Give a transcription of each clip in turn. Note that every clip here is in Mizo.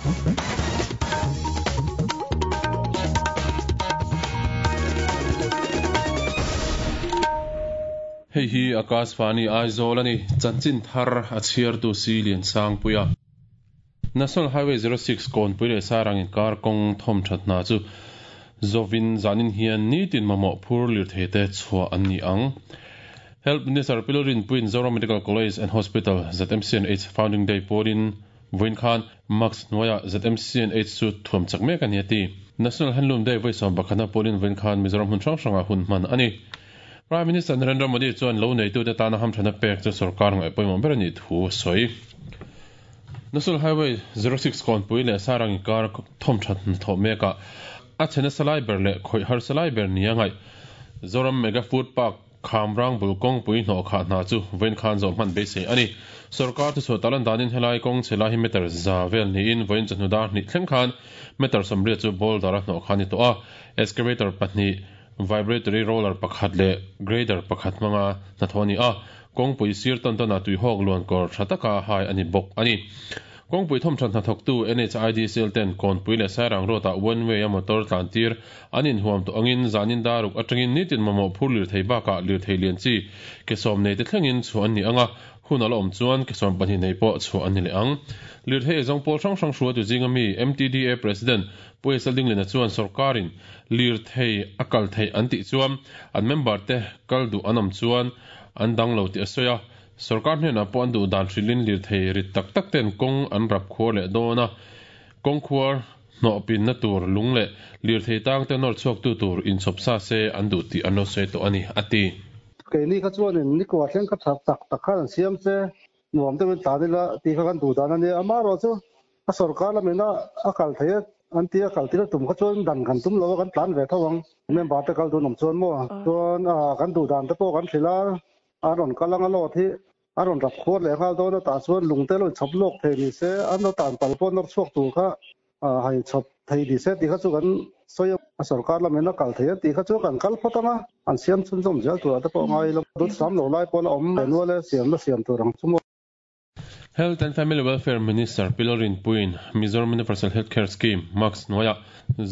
Hei hi Akashvani Aizawl a ni, chanchin thar a chhiartu si Liansangpuia. National Highway 06 kawnpui leh Sairang inkar kawng thawm that hna chu zawin zanin hian nitin mamawh phur lirthei te chhuah an ni ang. Health Minister Pi Lalrinpuiin Zoram Medical College and Hospital, ZMCNH, Founding Day pawlin vawiin khan Mask hnuaiah ZMCNH chu thuam chak mek a ni a ti. National Handloom Day vawi 11na pawlin vawiin khan Mizoram hmun hrang hrangah hun hman a ni. Prime Minister Narendra Modi chuan lo neitute tana hamthana pek chu sorkar ngaih pawimawh ber a nih thu a sawi. National Highway 06 kawnpui leh Sarang inkar thawm that hnathawh mekah a chhe nasa lai ber leh khawih harsa lai ber nia ngaih Zoram Mega Food Park Khamrang bul kawngpui hnawh khah hna chu vawiin khan zawh hman beisei a ni. Sorkar thuchhuah talan danin helai kawng chhe lai hi meter za vel niin vawiin chawhnu dar hnih thleng khan meter 80 chu boulder a hnawh kha a ni tawh a. Excavator pahnih, vibratory roller pakhat leh grader pakhat hmanga hnathawh a ni a. Kawngpui sir tawn tawnah tuihawk luan kawr tha taka hai a ni bawk a ni. Kawngpui thawmthat hnathawktu NHIDCL ten Kawnpui leh Sairang Road ah one way a motor tlan tir an inhuam tawh angin zanin daruk atangin nitin mamawh phur lirthei bakah lirthei lian chi ke sawm nei te thlengin chhuah an ni ang a, hun a la awm chuan ke 12 nei pawh chhuah an ni leh ang. Lirthei eizawng pawl hrang hrang hruaitu zinga mi MTDA President Pu Esel Dinglina chuan sorkarin lirthei a kal theih an tih chuan an member te kal duh an awm chuan an dang lo tih a sawi a, sorkar hnenah pawh an duh dan hrilhin lirthei rit tak tak ten kawng an rap khuar leh dawn a, kawng khuar hnawh pinna tur lung leh lirthei tang te nawr chhuak tu tur inchhawp sa se an duh tih an lo sawi tawh a ni, a ti. Keini kha chuanin nikua thleng kha chak tak tak khan an siam che, nuam deuhin tlan ila tih kha kan duh dan a nia, amaherawh chu A sorkar lamin a a kal thei a, an ti a kal tir a tum kha chuan dan kan tum lo a, kan tlan ve tho ang. Member te kal dun awm chuan maw? Chuan kan duh dan te pawh kan hrilh a, an rawn kal ang a load hi a rawn rap khuar leh nghal dawn a, tah chuan lung te lo inchhawp lawk thei ni se, an lo tan pal pawh nawr chhuak tur kha hai chhawp thei ni se tih kha chu kan sawi a. A sorkar lamin a kal thei a tih kha chu kan kal phawt ang a, an siam chhunzawm zel turah te pawh ngai ila, dut sam lo lai pawh la awm ve nual e, siamna siam tur ang chu maw? Health and Family Welfare Minister Pi Lalrinpuiin Mizoram Universal Health Care Scheme, MUHCS, hnuaiah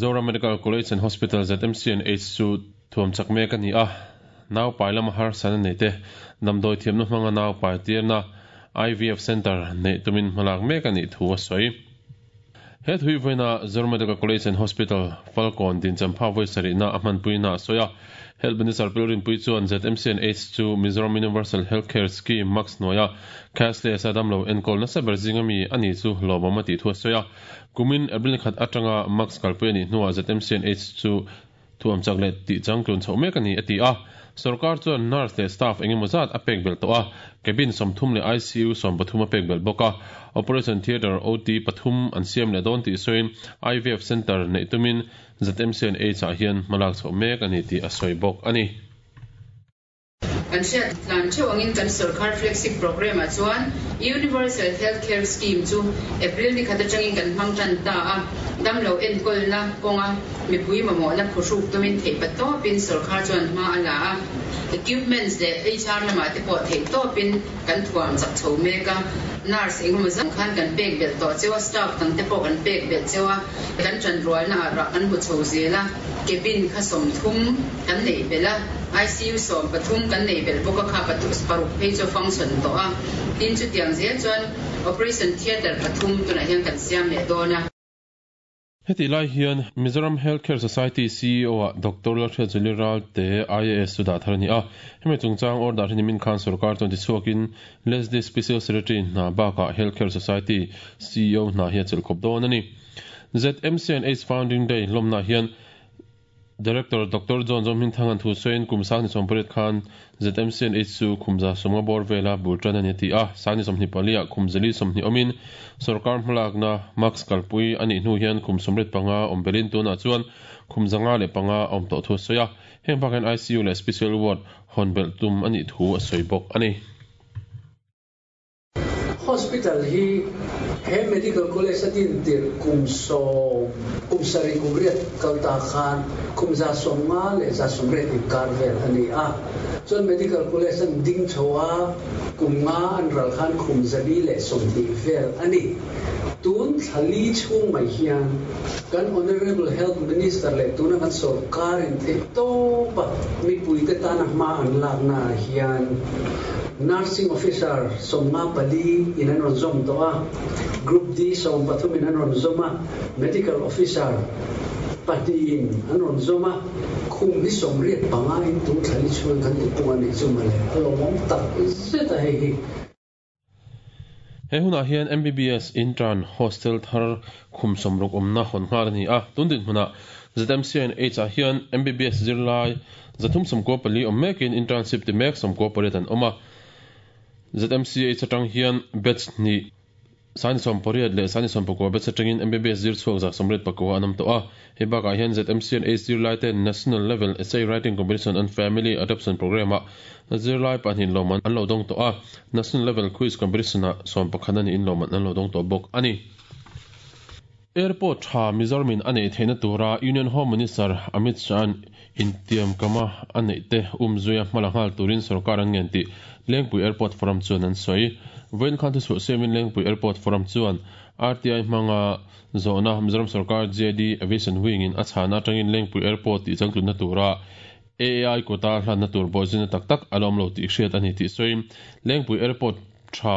Zoram Medical College and Hospital, ZMCNH, chu thuam chak mek a ni a. Nau pai lama harsatna nei te damdawi thiamna hmanga nau pai tirna IVF Centre neih tumin hmalak mek a nih thu a sawi. He thui vawiina Zoram Medical College and Hospital, Falkawn dinchampha vawi sarihna a hmanpuina a sawi a. Health Minister Pi Rinpui chuan ZMCNH chu Mizoram Universal Health Care Scheme, MUHCS, hnuaia cashless a damlo enkawl nasa ber zinga mi a ni chu lawmawm a tih thu a sawi a. Kumin April khat atanga MUHCS kalpui a nih hnuah ZMCNH chu Thuam chak leh tih changtlun chhoh mek a ni, a ti a. Sorkar chuan nurse leh staff eng emaw zat a pek belh tawh a, cabin 30 leh ICU 13 a pek belh bawk a. Operation theatre, OT, pathum an siam leh dawn tih sawiin IVF centre neih tumin ZMCNH-ah hian hmalak chhoh mek a ni tih a sawi bawk a ni. Kan hriat tlan theuh angin kan sorkar flagship programme ah chuan Universal Health Care Scheme chu April ni khat atangin kan hmang tan ta a, damlo enkawlna kawnga mipui mamawhna phuhruk tumin theihpatawpin sorkar chuan hma a la a, equipments leh HR lamah te pawh theihtawpin kan thuam chak chho mek a, nurse engemaw zat khan kan pek belh tawh cheu a, staff dang te pawh kan pek belh cheu a, kan tanrualna ah rah kan hmu chho zel a, cabin kha 30 kan neih belh a, ICU 13 kan neih belh bawk a, kha paruk phei chu a function tawh a, tin chutiang zel chuan operation theatre pathum tunah hian kan siam leh dawn a. Hetih lai hian Mizoram Health Care Society CEO-ah Doctor Lalhriatzuali Ralte, IAS chu dah thar a ni a. Hemi chungchang order hi nimin khan sorkar chuan tichhuakin Leslie Special Secretary hna bakah Health Care Society CEO hna hi a chelh khawp dawn a ni. ZMCNH Founding Day hlawmnaah hian Director Doctor John Zawmhmingthanga'n thu sawiin kum 28 khan ZMCNH chu khum 150 bawr vela bul tan a ni a ti a, 24 ah khum 420 awmin sorkar hmalakna mask kalpui a nih hnu hian khum 85 awm belin tunah chuan khum 105 a awm tawh thu a sawi a, heng bakah hian ICU leh Special Ward hawn belh tum a nih thu a sawi bawk a ni. Hospital hi he Medical College a din tirh kum sawm, kum sarih kum riat kal ta khan kum 150 leh 180 inkar vel a ni a. Chuan Medical College an ding chho a, kum nga an ral khan kum 420 vel a ni. Tun thla li chhung mai hian kan Honourable Health Minister leh tuna kan sawrkarin theihtawpa mipuite tana hma an laknaah hian Nursing Officer 54 in an rawn zawm tawh a, Group D 13 in an rawn zawm a, Medical Officer pahnihin an rawn zawm a, khum hi 85 in tun thla li chhungin kan tipung a nih chu mawle, a lawmawm tak zet a hei hi. He hunah hian MBBS Intern Hostel thar khum 60 awmna hawn nghal a ni a, tun dinhmunah ZMCNH ah hian MBBS zirlai 394 awm mekin internship ti mek 98 an awm a. ZMCH atang hian batch hnih Sani 18 leh Sani 19 batch atangin MBBS zir chhuak 189 an awm tawh a. Hei bakah hian ZMCNH zirlai ten National Level Essay Writing Competition on Family Adoption Programme-ah zirlai pahnih lawmman an lo dawng tawh a, National Level Quiz Competition-ah 11 a niin lawmman an lo dawng tawh bawk a ni. Airport tha Mizoramin a neih theihna tura Union Home Minister Amit Shah-a'n intiamkama a neih te umzuia hmala nghal turin sorkar an ngen tih Lengpui Airport Forum chuan an sawi. Vawiin khan thuchhuah siamin Lengpui Airport Forum chuan RTI hmanga zawhna Mizoram sorkar JD Aviation Wing-in a chhana atangin Lengpui Airport tih changtlunna tura AAI kuta hlanna tur bawhzina tak tak a la awm lo tih hriat a ni tih sawiin Lengpui Airport tha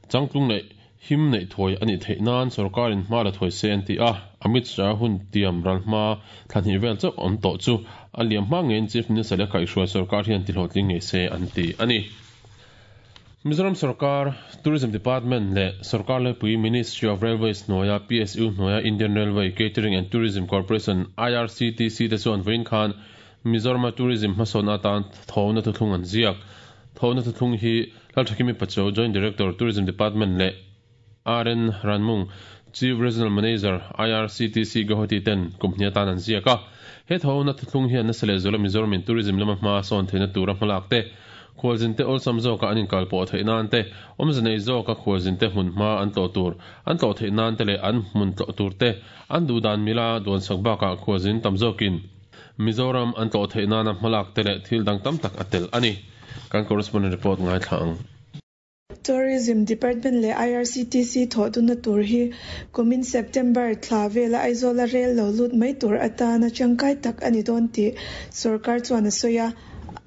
changtlung leh him neih thuai a nih theih nan sorkarin hma la thuai se an ti a, Amit Shah hun tiam ral hma thla hnih vel chauh awm tawh chu a liam hma ngeiin Chief Minister leh kaihhruai sorkar hian tihlawhtling ngei se an ti a ni. Mizoram sorkar Tourism Department leh sorkar laipui Ministry of Railways hnuaia PSU hnuaia Indian Railway Catering and Tourism Corporation, IRCTC, te chuan vawiin khan Mizorama tourism hmasawn atan thawhna thuthlung an ziak. Thawhna thuthlung hi Lalthakimi Pachuau, Joint Director, Tourism Department leh RN Ranmung, Chief Regional Manager, IRCTC, Guwahati ten kum hnih atan an ziak a. He thawhna thuthlung hian nasa leh zuala Mizoramin tourism lama hma sawn theihna tura hmalak te, khualzin te awlsam zawka an inkal pawh theih nan te, awmze nei zawka khualzin te hmun hma an tlawh tur an tlawh theih nan te leh an hmun tlawh tur te an duhdan mila duansak bakah khualzin tam zawkin Mizoram an tlawh theih nana hmalak te leh thil dang tam tak a tel a ni. Kan correspondent report ngaithla ang. Tourism Department leh IRCTC thawh dunna tur hi kumin September thla vela Aizawla rel lo lut mai tur atana tangkai tak a ni dawn tih sorkar chuan a sawi a.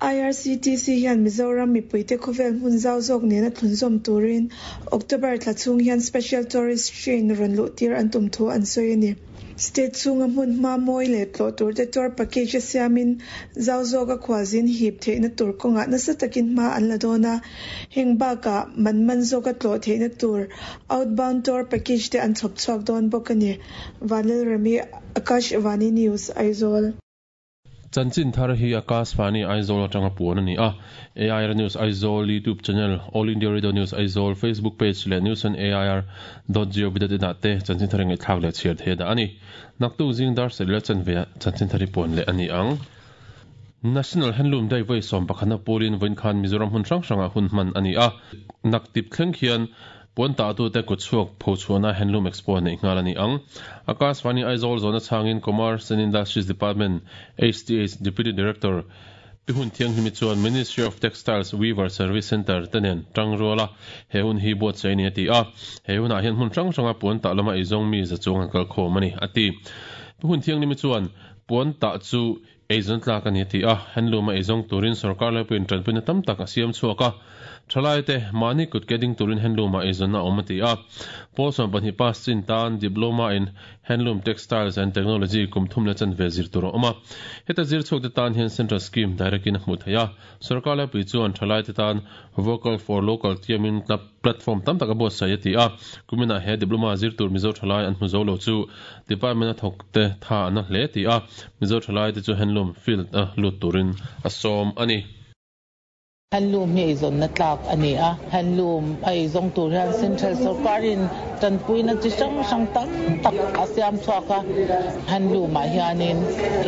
IRCTC hian Mizoram mipuite khawvel hmun zau zawk nena thlunzawm turin October thla chhung hian Special Tourist Train rawn luh tir an tum thu an sawi a ni. State chhunga hmun hma mawi leh tlawh turte tour package a siamin zau zawka khualzin hip theihna tur kawngah nasa takin hma an la dawn a. Heng bakah man man zawka tlawh theihna tur outbound tour package te an chhawp chhuak dawn bawk a ni. Vanlalremi, Akashvani News, Aizawl. Chanchin thar hi Akashvani Aizawl atanga puan a ni a. AIR News Aizawl YouTube channel, All India Radio News Aizawl Facebook page leh newsonair dot gov dot in ah te chanchin thar ngaihthlak leh chhiar theih a dah a ni. Naktuk zing dar sarih leh chanve ah chanchin thar hi puan leh a ni ang. National Handloom Day vawi 11 na pawlin vawiin khan Mizoram hmun hrang hrangah hun hman a ni a. Naktip thleng khian Puan tahtute kut chhuak phochhuahna Handloom Expo neih nghal a ni ang. Akashvani Aizawl zawhna chhangin Commerce and Industries Department, HTH, Deputy Director Pi Hun Thianghlimi chuan Ministry of Textiles Weaver Service Centre te nen tang rual a, he hun hi buatsaih a ni a ti a. He hunah hian hmun hrang hranga puan tah lama eizawng mi za chuang an kal khawm a ni, a ti. Pi Hun Thianghlimi chuan puan tah chu Eizawn tlak a ni a ti a, handloom a eizawng turin sorkar laipuiin tanpuina tam tak a siam chhuak a, thalaite mahni kut ke ding turin handloom ah eizawnna a awm a ti a. Pawl 12 pass chin tan Diploma in Handloom Textiles and Technology kum thum leh chanve zir tur a awm a. Heta zir chhuak te tan hian Central Scheme direct in a hmuh theih a, sorkar laipui chuan thalaite tan Vocal for Local tiamin platform tam tak a buatsaih a ti a. Kuminah he diploma zir tur Mizo thalai an hmu zo lo chu department a thawk te tha an na hle ti a, Mizo thalai te chu handloom field a lut turin a sawm a ni. Handloom hi eizawnna tlak a ni a, handloom a eizawng tur hian central sorkarin tanpuina chi hrang hrang tam tak a siam chhuak a, handloom ah hianin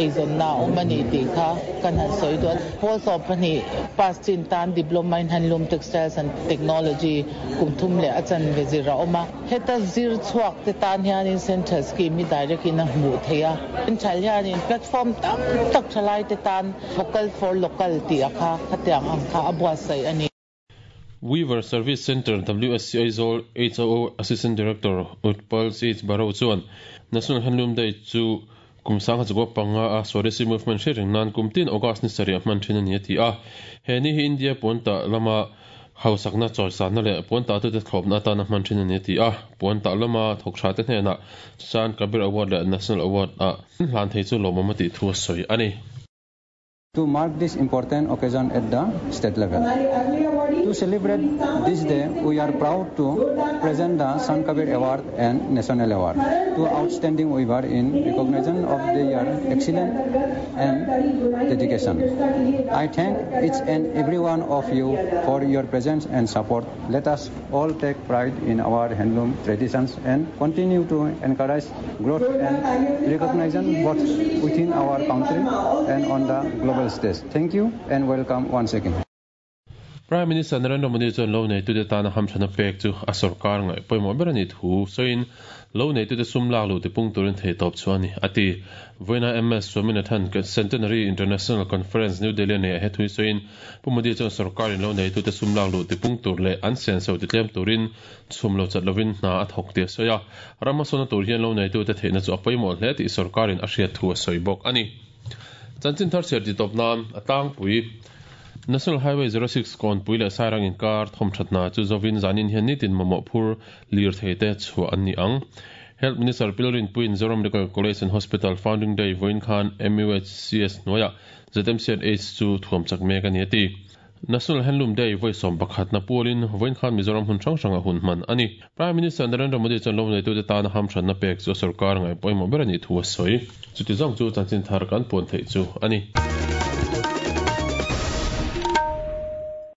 eizawnna a awm a ni tih kha kan han sawi duh a. Pawl 12 pass chin tan Diploma in Handloom Textiles and Technology kum thum leh a chanve zir a awm a. Heta zir chhuak te tan hianin Central Scheme hi direct in a hmuh theih a. Central hianin platform tam tak thalai te tan Vocal for Local tih a kha khatiang ang kha a buatsaih a ni. Weaver Service Centre, WSC Aizawl HOO Assistant Director Utpal CH Barrow chuan National Handloom Day chu kum 1905 a Swadeshi Movement hre reng nan kum tin August ni sarih a hman thin a ni a ti a. He ni hi India puantah lama hausakna chawisanna leh puantah tute thlawpna atana hman thin a ni a ti a. Puantah lama thawk tha te hnenah Sant Kabir Award leh National Award a hlan thei chu lawmawm a tih thu a sawi a ni. To mark this important occasion at the state level. To celebrate this day, we are proud to present the Sant Kabir Award and National Award to outstanding weaver in recognition of their excellence and dedication. I thank each and every one of you for your presence and support. Let us all take pride in our handloom traditions and continue to encourage growth and recognition both within our country and on the global stage. Thank you and welcome once again. Prime Minister Narendra Modi chuan lo neitute tana hamthana pek chu a sorkar ngaih pawimawh ber a nih thu sawiin lo neitute sum lak luh tipung turin theihtawp chu a ni a ti. Vawiina MS Swaminathan Centenary International Conference New Delhi a neih ah he thu hi sawiin Pu Modi chuan sorkarin lo neitute sum lak luh tipung tur leh an senso titlem turin chhum lo chat lovin hna a thawk tih a sawi a. Ram hmasawnna tur hian lo neitute theihna chu a pawimawh hle tih sorkarin a hriat thu a sawi bawk a ni. Chanchin thar chhiar tih tawp nan a tlangpui National Highway 06 Kawnpui leh Sairang inkar thawmthat hna chu zovin zanin hian nitin mamawh phur lirthei te chhuah an ni ang. Health Minister Pilrinpuiin Zoram Medical College and Hospital Founding Day vawiin khan MUHCS hnuaiah ZMCNH chu thuam chak mek a ni a ti. National Handloom Day vawi 11 na pualin vawiin khan Mizoram hmun hrang hrangah hun hman a ni. Prime Minister Narendra Modi chuan lawmneitute tana hamhranna pek chu a sorkar ngaih pawimawh ber a nih thu a sawi. Chuti zawng chu chanchin thar kan puan theih chu a ni.